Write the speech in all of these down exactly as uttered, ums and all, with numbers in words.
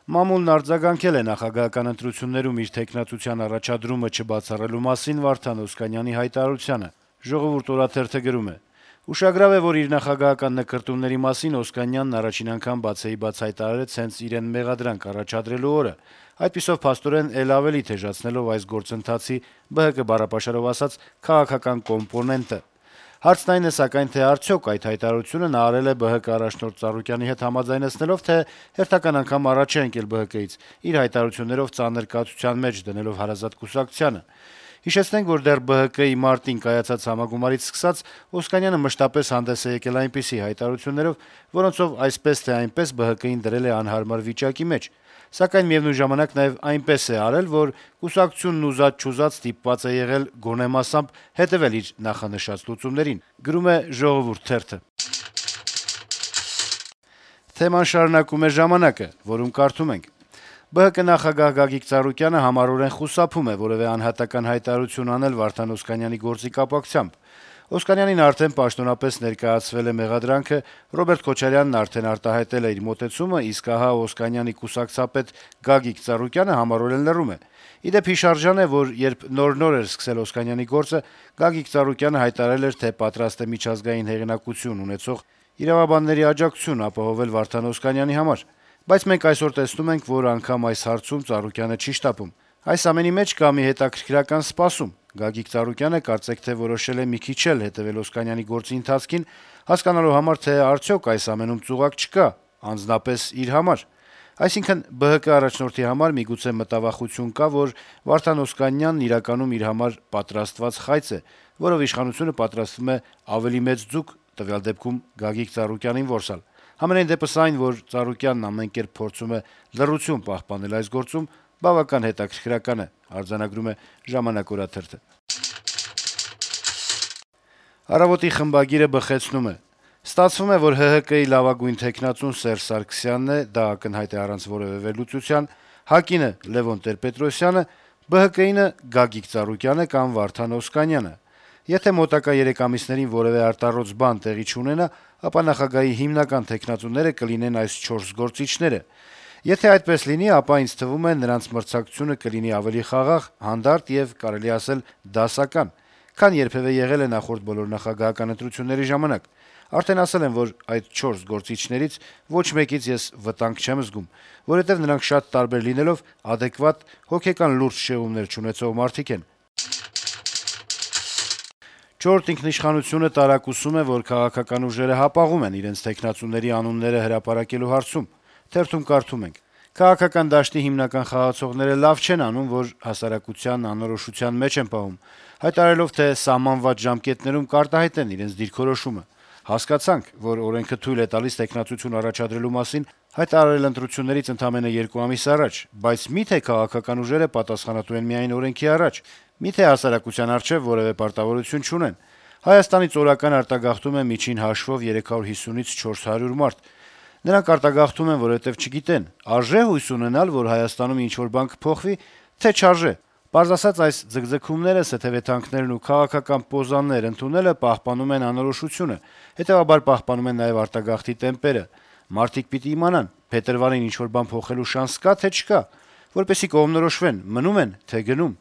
Մամուլն արձագանքել է նախագահական ընտրություններում իր թեկնածության առաջադրումը չբացառելու մասին Վարդան Օսկանյանի հայտարարությանը։ «Ժողովուրդ» օրաթերթը գրում է. - «Ուշագրավ է, որ իր նախագահական նկրտումների մասին Օսկանյանն առաջին անգամ բացեիբաց հայտարարեց հենց իրեն մեղադրանք առաջադրելու օրը, այդպիսով փաստորեն էլ ավելի թեժացնելով այս գործընթացի ԲՀԿ բառապաշարով ասած քաղաքական կոմպոնենտը։ Հարցն այն է, սակայն, թե արդյոք այդ հայտարարությունը նա արել է ԲՀԿ առաջնորդ Ծառուկյանի հետ համաձայնեցնելով, թե հերթական անգամ առաջ է ընկել ԲՀԿ-ից, իր հայտարարություններով ծանր կացության մեջ դնելով հարազատ կուսակցությանը։ Հիշեցնենք, որ դեռ ԲՀԿ-ի մարտին կայացած համագումարից սկսած Օսկանյանը մշտապես հանդես է եկել այնպիսի հայտարարություններով, որոնցով այսպես թե այնպես ԲՀԿ-ին դրել է անհարմար վիճակի մեջ, սակայն միևնույն ժամանակ նաև այնպես է արել, որ կուսակցությունն ուզած-չուզած ստիպված է եղել գոնե մասամբ հետեւել իր նախանշած լուծումներին»։ Գրում է «Ժողովուրդ» թերթը։ Թեման շարունակում է «Ժամանակ»-ը, որում կարդում ենք. - «ԲՀԿ նախագահ Գագիկ Ծառուկյանը համառորեն խուսափում է որեւէ անհատական հայտարարություն անել Վարդան Օսկանյանի գործի կապակցությամբ։ Օսկանյանին արդեն պաշտոնապես ներկայացվել է մեղադրանքը, Ռոբերտ Քոչարյանն արդեն արտահայտել է իր մոտեցումը, իսկ ահա Օսկանյանի կուսակցապետ Գագիկ Ծառուկյանը համառորեն լռում է։ Ի դեպ, հիշարժան է, որ երբ նոր-նոր էր սկսել Օսկանյանի գործը, Գագիկ Ծառուկյանը հայտարարել էր, թե պատրաստ է միջազգային հեղինակություն ունեցող իրավաբանների աջակցություն ապահովել Վարդան Օսկանյանի համար։ Բայց մենք այսօր տեսնում ենք, որ անգամ այս հարցում Ծառուկյանը չի շտապում։ Այս ամենի մեջ կա մի հետաքրքրական սպասում. Գագիկ Ծառուկյանը կարծեք թե որոշել է մի քիչ էլ հետեւել Օսկանյանի գործի ընթացքին, հասկանալու համար, թե արդյոք այս ամենում ծուղակ չկա, անձնապես իր համար։ Այսինքն, ԲՀԿ առաջնորդի համար միգուցե մտավախություն կա, որ Վարդան Օսկանյանն իրականում իր համար պատրաստված խայծ է, որով իշխանությունը պատրաստվում է ավելի մեծ ձուկ, տվյալ դեպքում Գագիկ Ծառուկյանին որսալ։ Համենայն դեպս այն, որ Ծառուկյանն ամեն կերպ փորձում է լռություն պահպանել այս գործում, բավական հետաքրքրական է», արձանագրում է «Ժամանակ» օրաթերթը։ «Առավոտ»-ի խմբագիրը բխեցնում է. - «Ստացվում է, որ ՀՀԿ-ի լավագույն թեկնածուն Սերժ Սարգսյանն է, դա ակնհայտ է առանց որեւէ վերլուծության, ՀԱԿ-ինը Լեւոն Տեր-Պետրոսյանը, ԲՀԿ-ինը Գագիկ Ծառուկյանը կամ Վարդան Օսկանյանը։ Եթե մոտակա երեք ամիսներին որեւէ արտառոց բան տեղի չունենա, ապա նախագահի հիմնական թեկնածուները կլինեն այս չորս գործիչները։ Եթե այդպես լինի, ապա ինձ թվում է, նրանց մրցակցությունը կլինի ավելի խաղաղ, հանդարտ եւ, կարելի ասել, դասական, քան երբեւէ եղել է նախորդ բոլոր նախագահական ընտրությունների ժամանակ։ Արդեն ասել եմ, որ այդ չորս գործիչներից ոչ մեկից ես վտանգ չեմ զգում, որովհետեւ նրանք շատ տարբեր լինելով ադեկվատ, հոգեկան լուրջ շեղումներ չունեցող մարդիկ են»։ «Չորրորդ ինքնիշխանություն»-ը տարակուսում է, որ քաղաքական ուժերը հապաղում են իրենց թեկնածուների անունները հրապարակելու հարցում։ Թերթում կարդում ենք. - «Քաղաքական դաշտի հիմնական խաղացողները լավ չեն անում, որ հասարակության անորոշության մեջ են պահում, հայտարարելով, թե սահմանված ժամկետներում կարտահայտեն իրենց դիրքորոշումը։ Հասկացանք, որ օրենքը թույլ է տալիս թեկնածություն առաջադրելու մասին հայտարարել ընտրություններից ընդամենը երկու ամիս առաջ, բայց մի՞թե քաղաքական ուժերը պատասխանատու են միայն օրենքի առաջ, մի՞թե հասարակության առջեւ որեւէ պարտավորություն չունեն։ Հայաստանից օրական արտագաղթում է միջին հաշվով երեք հարյուր հիսունից չորս հարյուր մարդ։ Նրանք արտագաղթում են, որովհետեւ չգիտեն՝ արժե՞ հույս ունենալ, որ Հայաստանում ինչ-որ բան կփոխվի, թե չարժե։ Պարզ ասած, այս ձգձգումները, սեթեւեթանքներն ու քաղաքական պոզաններ ընդունելը պահպանում են անորոշությունը, հետեւաբար պահպանում են նաեւ արտագաղթի տեմպերը։ Մարդիկ պիտի իմանան՝ փետրվարին ինչ-որ բան փոխելու շանս կա, թե չկա, որպեսզի կողմնորոշվեն՝ մնո՞ւմ են, թե գնում։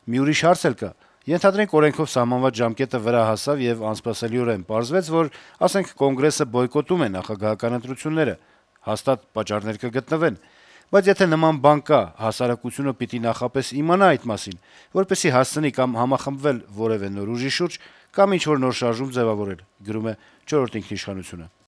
Մի ուրիշ հարց էլ կա. ենթադրենք օրենքով սահմանված ժամկետը վրա հասավ եւ անսպասելիորեն պարզվեց, որ, ասենք, Կոնգրեսը բոյկոտում է նախագահական ընտրությունները։ Հաստատ պատճառներ կգտնվեն։ Բայց եթե նման բան կա, հասարակությունը պիտի նախապես իմանա այդ մասին, որպեսզի հասցնի կամ համախմբվել որեւէ նոր ուժի շուրջ, կամ ինչ-որ նոր շարժում ձեւավորել», գրում է «Չորրորդ ինքնիշխանություն»-ը։